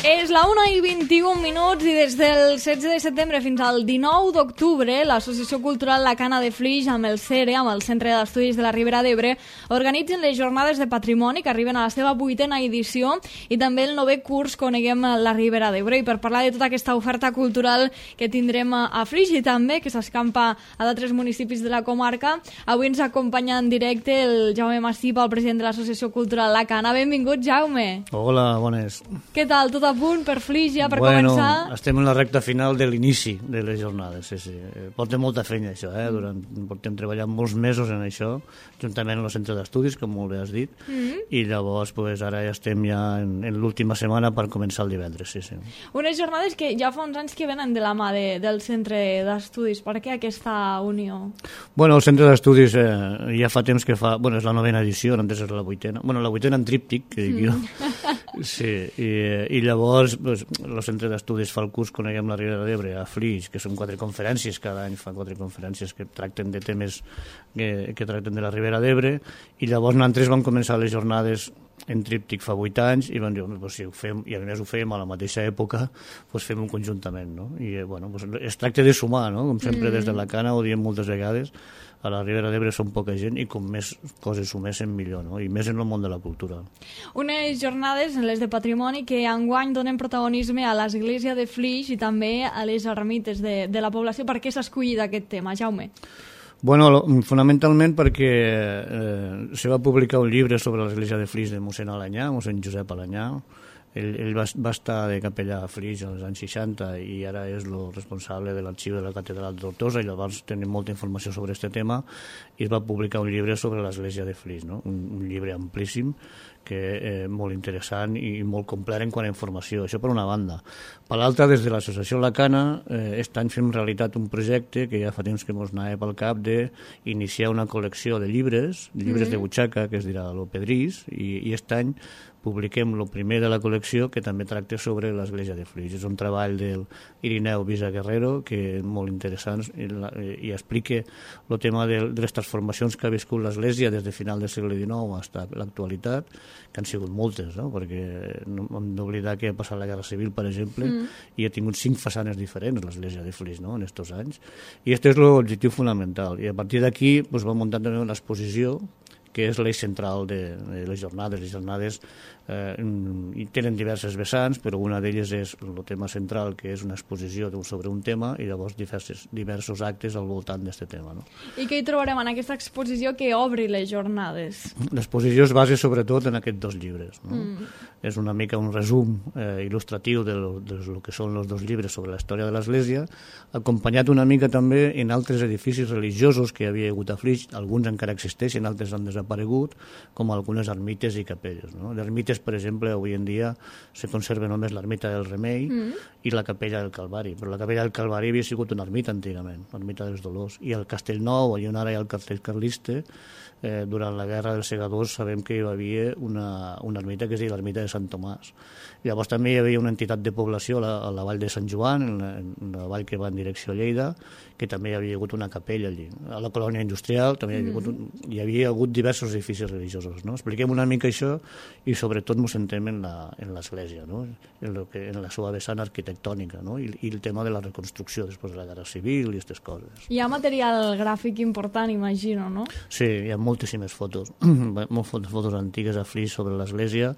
És la 1:21 i des del 16 de setembre fins al 19 d'octubre l'Associació Cultural La Cana de Flix amb el CERE, amb el Centre d'Estudis de la Ribera d'Ebre, organitzen les jornades de patrimoni que arriben a la seva 8ª edició i també el 9è curs Coneguem la Ribera d'Ebre. I per parlar de tota aquesta oferta cultural que tindrem a Flix i també que s'escampa a d'altres municipis de la comarca, avui ens acompanya en directe el Jaume Massipa, el president de l'Associació Cultural La Cana. Benvingut, Jaume. Hola, bones. Què tal? Tot a punt per Flix ja, per començar? Estem en la recta final de l'inici de les jornades, sí. Portem molta feina, això, portem treballant molts mesos en això, juntament amb el centre d'estudis, com molt bé has dit, i llavors ara ja estem en l'última setmana per començar el divendres, sí. Unes jornades que ja fa uns anys que venen de la mà del centre d'estudis. Per què aquesta unió? Bueno, el centre d'estudis ja fa temps que fa... Bueno, és la 9ª edició, antes és la 8ª. Bueno, la 8ª en tríptic, que dic jo. Sí, i llavors el centre d'estudis fa el curs Coneguem la Ribera d'Ebre a Flix, que són 4 conferències, cada any fa 4 conferències que tracten de temes que tracten de la Ribera d'Ebre, i llavors nosaltres vam començar les jornades en tríptic fa 8 anys i vam dir, si ho fem, i a més ho fèiem a la mateixa època, fem-ho conjuntament, no? I es tracta de sumar, no? Com sempre des de la Cana ho diem moltes vegades, a la Ribera d'Ebre som poca gent i com més coses suméssim millor, no? I més en el món de la cultura. Unes jornades, les de patrimoni, que enguany donen protagonisme a l'Església de Flix i també a les ermites de la població. Per què s'ha escollit aquest tema, Jaume? Bueno, fonamentalment perquè se va publicar un llibre sobre l'Església de Flix de mossèn Alanyà, mossèn Josep Alanyà. Ell va estar de capellà a Flix als anys 60 i ara és el responsable de l'arxiu de la catedral de Tortosa, i llavors tenim molta informació sobre aquest tema, i es va publicar un llibre sobre l'Església de Flix, no? Un llibre amplíssim, que molt interessant i molt complet en quant a informació. Això per una banda. Per l'altra, des de l'Associació La Cana, aquest any fem realitat un projecte que ja fa temps que ens anava pel cap d'iniciar una col·lecció de llibres de butxaca, que es dirà Lo Pedrís, i aquest any publiquem el primer de la col·lecció, que també tracta sobre l'Església de Flix. És un treball del Irineu Visa Guerrero, que és molt interessant i explica el tema de les transformacions que ha viscut l'Església des de final del segle XIX fins a l'actualitat, que han sigut moltes, no? Perquè no hem d'oblidar que ha passat la Guerra Civil, per exemple, i ha tingut 5 façanes diferents l'Església de Flix, no?, en aquests anys. I aquest és l'objectiu fonamental. I a partir d'aquí va muntant també una exposició que és l'eix central de les jornades. Les jornades tenen diverses vessants, però una d'elles és el tema central, que és una exposició sobre un tema, i llavors diversos actes al voltant d'aquest tema. No? I què hi trobarem en aquesta exposició que obri les jornades? L'exposició es basa sobretot en aquests 2 llibres. No? És una mica un resum il·lustratiu de lo que són els 2 llibres sobre la història de l'Església, acompanyat una mica també en altres edificis religiosos que hi havia hagut a Flix. Alguns encara existeixen, altres han desaparegut, com algunes ermites i capelles. No? D'ermites, per exemple, avui en dia se conserva només l'ermita del Remei i la capella del Calvari, però la capella del Calvari havia sigut una ermita antigament, l'ermita dels Dolors, i el Castellnou, on ara hi ha el castell carlista, durant la guerra dels segadors sabem que hi havia una ermita que es deia l'ermita de Sant Tomàs. Llavors també hi havia una entitat de població a la vall de Sant Joan, en la vall que va en direcció a Lleida, que també hi havia hagut una capella allí. A la colònia industrial també hi havia hagut diversos edificis religiosos. No? Expliquem una mica això i sobretot ens centrem en l'església, no? en la seva vessant arquitectònica, no? I el tema de la reconstrucció després de la Guerra Civil i aquestes coses. Hi ha material gràfic important, imagino, no? Sí, hi ha moltíssimes fotos, moltes fotos antigues a Flix sobre l'església.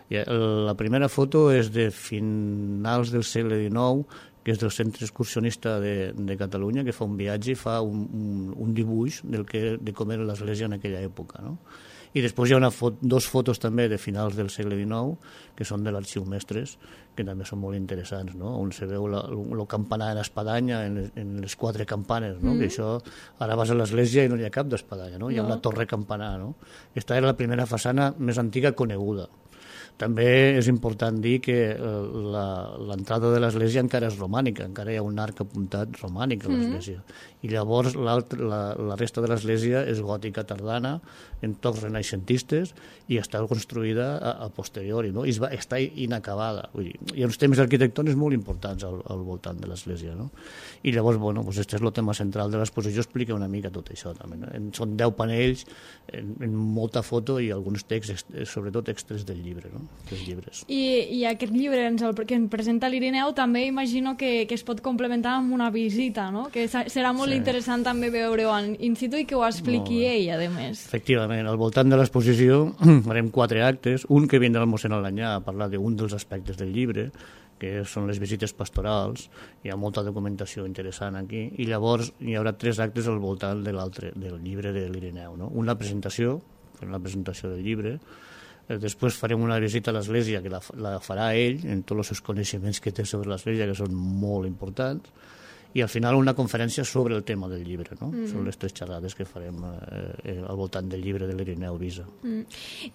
La primera foto és de finals del segle XIX, que és del Centre Excursionista de Catalunya, que fa un viatge i fa un dibuix de com era l'església en aquella època. No? I després hi ha 2 fotos també de finals del segle XIX, que són de l'Arxiu Mestres, que també són molt interessants, no? On se veu el campanar en espadanya, en les 4 campanes, no? Que això, ara vas a l'església i no hi ha cap d'espadanya, no? Hi ha una torre campanar, no? Aquesta era la primera façana més antiga coneguda. També és important dir que l'entrada de l'església encara és romànica, encara hi ha un arc apuntat romànic a l'església. I llavors la resta de l'església és gòtica tardana, en tocs renaixentistes, i està construïda a posteriori, no? I està inacabada. Vull dir, hi ha uns temes arquitectònics molt importants al voltant de l'església. No? I llavors, aquest és el tema central de l'exposició, explica una mica tot això. També, no? Són 10 panells, en molta foto i alguns texts, sobretot extres del llibre. No? dels llibres. I aquest llibre que ens presenta l'Irineu també imagino que es pot complementar amb una visita, no? Que serà molt interessant també veure-ho in situ i que ho expliqui ell, a més. Efectivament, al voltant de l'exposició farem 4 actes, un que vindrà el mossèn Alanyà a parlar d'un dels aspectes del llibre, que són les visites pastorals, hi ha molta documentació interessant aquí, i llavors hi haurà 3 actes al voltant de del llibre de l'Irineu, no? Una presentació, la presentació del llibre, després farem una visita a l'església que la farà ell, en tots els seus coneixements que té sobre l'església, que són molt importants, i al final una conferència sobre el tema del llibre, no? Són les 3 xerrades que farem al voltant del llibre de l'Irineu Visa.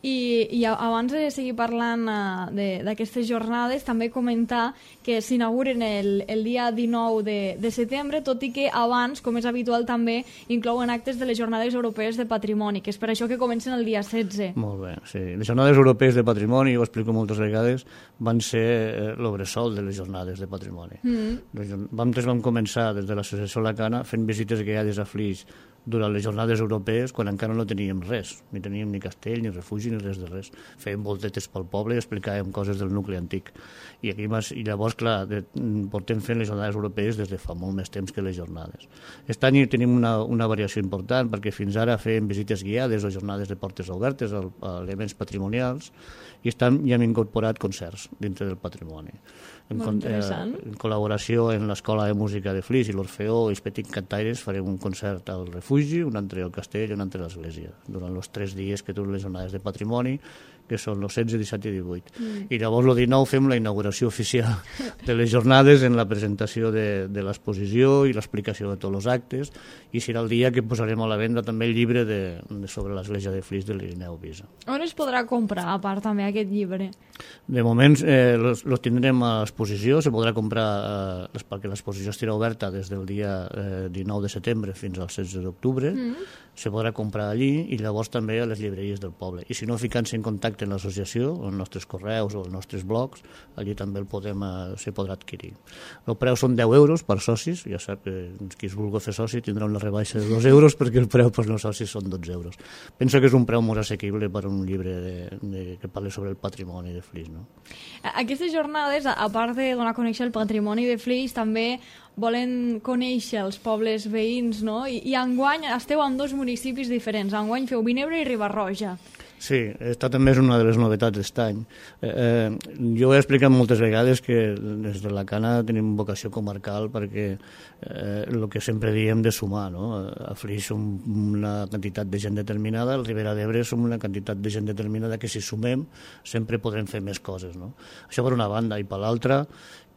I abans de seguir parlant d'aquestes jornades, també comentar que s'inauguren el dia 19 de setembre, tot i que abans, com és habitual, també inclouen actes de les Jornades Europees de Patrimoni, que és per això que comencen el dia 16. Molt bé, sí. Les Jornades Europees de Patrimoni, ho explico moltes vegades, van ser l'obressol de les Jornades de Patrimoni. Nosaltres vam començar des de l'associació Lacana fent visites guiades a Flix durant les jornades europees quan encara no teníem res, ni teníem ni castell, ni refugi, ni res de res. Fèiem voltetes pel poble i explicàvem coses del nucli antic. I llavors, clar, portem fent les jornades europees des de fa molt més temps que les jornades. Aquest any tenim una variació important perquè fins ara fèiem visites guiades o jornades de portes obertes a elements patrimonials i hi hem incorporat concerts dintre del patrimoni. En col·laboració amb l'Escola de Música de Flix i l'Orfeó i els Petits Cantaires farem un concert al refugi, un altre al castell i un altre a l'església, durant els 3 dies que duren les jornades de patrimoni, que són els 16, 17 i 18. I llavors el 19 fem la inauguració oficial de les jornades en la presentació de l'exposició i l'explicació de tots els actes, i serà el dia que posarem a la venda també el llibre sobre l'església de Flix de l'Irineu Visa. On es podrà comprar, a part, també aquest llibre? De moment los tindrem a l'exposició, se podrà comprar perquè l'exposició estarà oberta des del dia 19 de setembre fins al 16 d'octubre, se podrà comprar allí i llavors també a les llibreries del poble. I si no, ficant-se en contacte amb l'associació, els nostres correus o els nostres blogs, allí també se podrà adquirir. El preu són 10 euros per socis, ja sap que qui es vulgui fer soci tindrà una rebaixa de 2 euros perquè el preu per no socis són 12 euros. Penso que és un preu molt assequible per un llibre que parli sobre el patrimoni de Flix, no? Aquestes jornades, a part de donar a conèixer el patrimoni de Flix, també volen conèixer els pobles veïns, no? I enguany esteu en 2 municipis diferents. Enguany feu Vinebre i Riba-roja. Sí, aquesta també és una de les novetats d'aquest any. Jo he explicat moltes vegades que des de la Cana tenim vocació comarcal perquè el que sempre diem de sumar, no? A Flix som una quantitat de gent determinada, al Ribera d'Ebre som una quantitat de gent determinada que si sumem sempre podrem fer més coses, no? Això per una banda, i per l'altra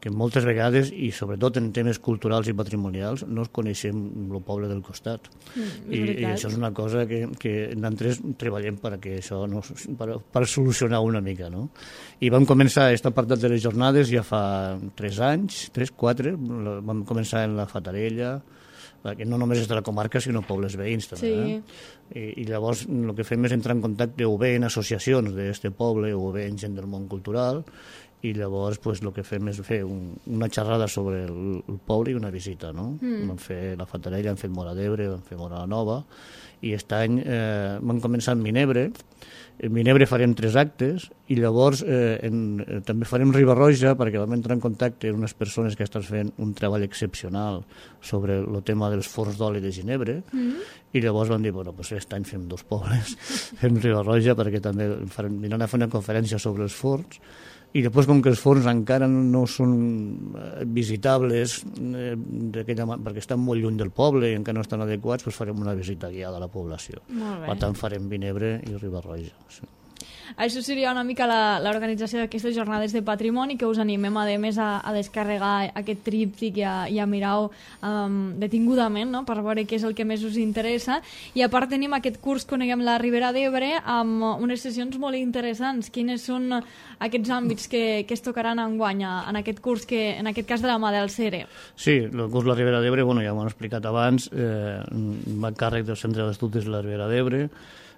que moltes vegades, i sobretot en temes culturals i patrimonials, no es coneixem el poble del costat. I això és una cosa que nosaltres treballem perquè això per solucionar una mica, no? I vam començar aquest apartat de les jornades ja fa 3 anys, 3, 4, vam començar en la Fatarella, que no només és de la comarca, sinó pobles veïns també. Sí. I llavors el que fem és entrar en contacte o bé en associacions d'aquest poble o bé en gent del món cultural, i llavors el que fem és fer una xerrada sobre el poble i una visita, no? Vam fer la Fatarella, hem fet Móra d'Ebre, vam fer Móra la Nova, i aquest any vam començar amb Vinebre. En Vinebre farem 3 actes i llavors també farem Riba-roja perquè vam entrar en contacte amb unes persones que estan fent un treball excepcional sobre el tema dels forns d'oli de Ginebre i llavors vam dir, bueno, aquest any fem 2 pobles, fem Riba-roja perquè també vindran a fer una conferència sobre els forns. I després, com que els forns encara no són visitables perquè estan molt lluny del poble i encara no estan adequats, doncs farem una visita guiada a la població. Per tant, farem Vinebre i Riba-roja. Sí. Això seria una mica l'organització d'aquestes jornades de patrimoni, que us animem a més a descarregar aquest tríptic i a mirar-ho detingudament, no? Per veure què és el que més us interessa. I a part tenim aquest curs Coneguem la Ribera d'Ebre amb unes sessions molt interessants. Quines són aquests àmbits que es tocaran enguany en aquest curs, que en aquest cas de la mà del CERE? Sí, el curs La Ribera d'Ebre, ja m'ho han explicat abans, va a càrrec del Centre d'Estudis de la Ribera d'Ebre.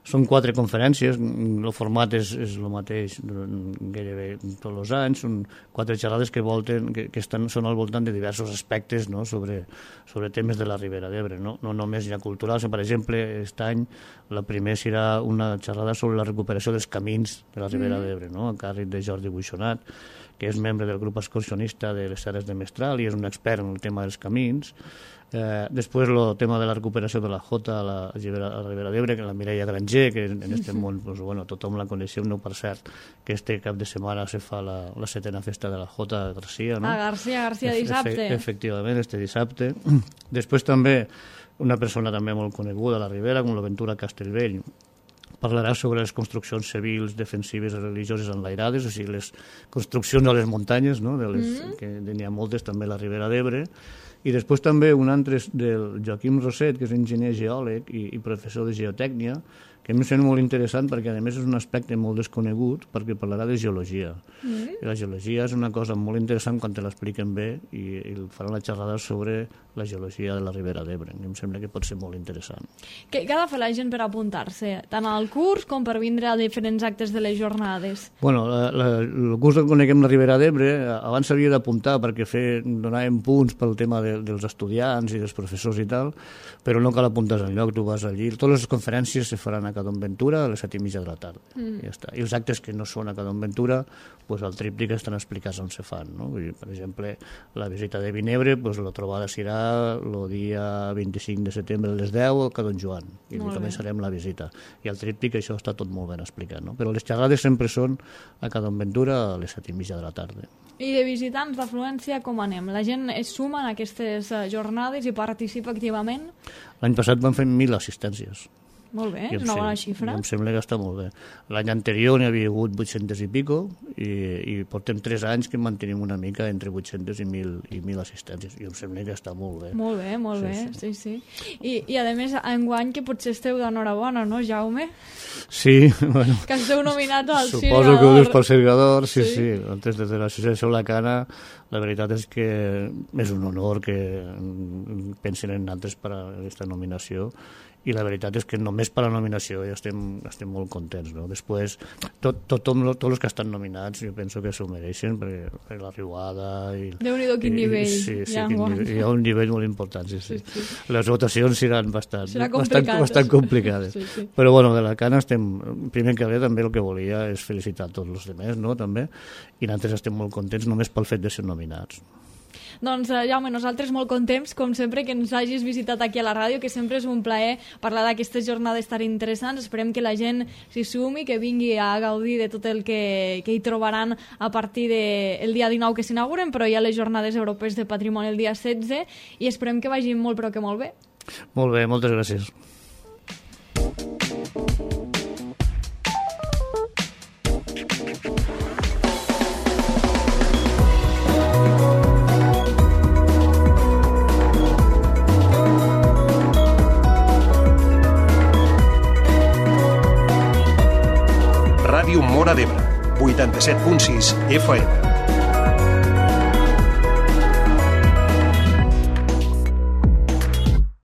Són 4 conferències, el format és el mateix gairebé tots els anys, són 4 xerrades que són al voltant de diversos aspectes, no? sobre temes de la Ribera d'Ebre, no només ja culturals. Per exemple, aquest any la primera serà una xerrada sobre la recuperació dels camins de la Ribera d'Ebre, no? A càrrec de Jordi Buixonat, que és membre del grup excursionista de les Serres de Mestral i és un expert en el tema dels camins. Després el tema de la recuperació de la Jota a la Ribera d'Ebre, que la Mireia Granger, que en aquest món tothom la coneixeu, no, per cert, que este cap de setmana se fa la 7ª festa de la Jota a Garcia, no? A Garcia dissabte. Efectivament, este dissabte. Després també una persona també molt coneguda a la Ribera, com l'Aventura Castellvell, parlarà sobre les construccions civils, defensives i religioses enlairades, o sigui, les construccions a les muntanyes, no? Que n'hi ha moltes també a la Ribera d'Ebre. I després també un altre del Joaquim Roset, que és enginyer geòleg i professor de geotècnia, que em sembla molt interessant perquè a més és un aspecte molt desconegut perquè parlarà de geologia. I la geologia és una cosa molt interessant quan te l'expliquen bé i farà una xerrada sobre la geologia de la Ribera d'Ebre. Em sembla que pot ser molt interessant. Què ha de fer la gent per apuntar-se? Tant al curs com per vindre a diferents actes de les jornades? Bueno, el curs que coneguem la Ribera d'Ebre abans s'havia d'apuntar perquè donàvem punts pel tema dels estudiants i dels professors i tal, però no cal apuntar enlloc, tu vas allí. Totes les conferències se faran a Cadonventura a les 7:30 de la tarda. Ja està. I els actes que no són a Cadonventura, pues, al tríptic estan explicats on se fan. No? Per exemple, la visita de Vinebre, pues, la trobada serà el dia 25 de setembre a les 10 a Cadon Joan. I començarem la visita. I al tríptic això està tot molt ben explicat. No? Però les xerrades sempre són a Cadonventura a les 7:30 de la tarda. I de visitants d'afluència com anem? La gent es suma en aquestes jornades i participa activament? L'any passat van fer 1.000 assistències. Molt bé, és una bona xifra. Em sembla que està molt bé. L'any anterior n'hi havia hagut 800 i pico i portem 3 anys que mantenim una mica entre 800 i 1.000 assistències i em sembla que està molt bé. Molt bé, sí. I a més, enguany que potser esteu d'enhorabona, no, Jaume? Sí, bueno. Que esteu nominat al Sirgador. Suposo que ho dius pel Sirgador, sí. Antes de l'associació La Cana, la veritat és que és un honor que pensin en nosaltres per a aquesta nominació i la veritat és que només per la nominació ja estem molt contents, no? Després, tots els que estan nominats jo penso que s'ho mereixen perquè la riuada Déu-n'hi-do quin nivell. Sí, hi ha un nivell molt important, sí. Les votacions seran bastant complicades. Sí. Però bueno, de la Cana primer que res també el que volia és felicitar tots els altres, no? També, i nosaltres estem molt contents només pel fet de ser nominats. Doncs, Jaume, nosaltres molt contents, com sempre, que ens hagis visitat aquí a la ràdio, que sempre és un plaer parlar d'aquestes jornades tan interessants. Esperem que la gent s'hi sumi, que vingui a gaudir de tot el que hi trobaran a partir del dia 19 que s'inauguren, però hi ha les jornades europees de patrimoni el dia 16 i esperem que vagin molt, però que molt bé. Molt bé, moltes gràcies. Ràdio Móra d'Ebre, 87.6 FM.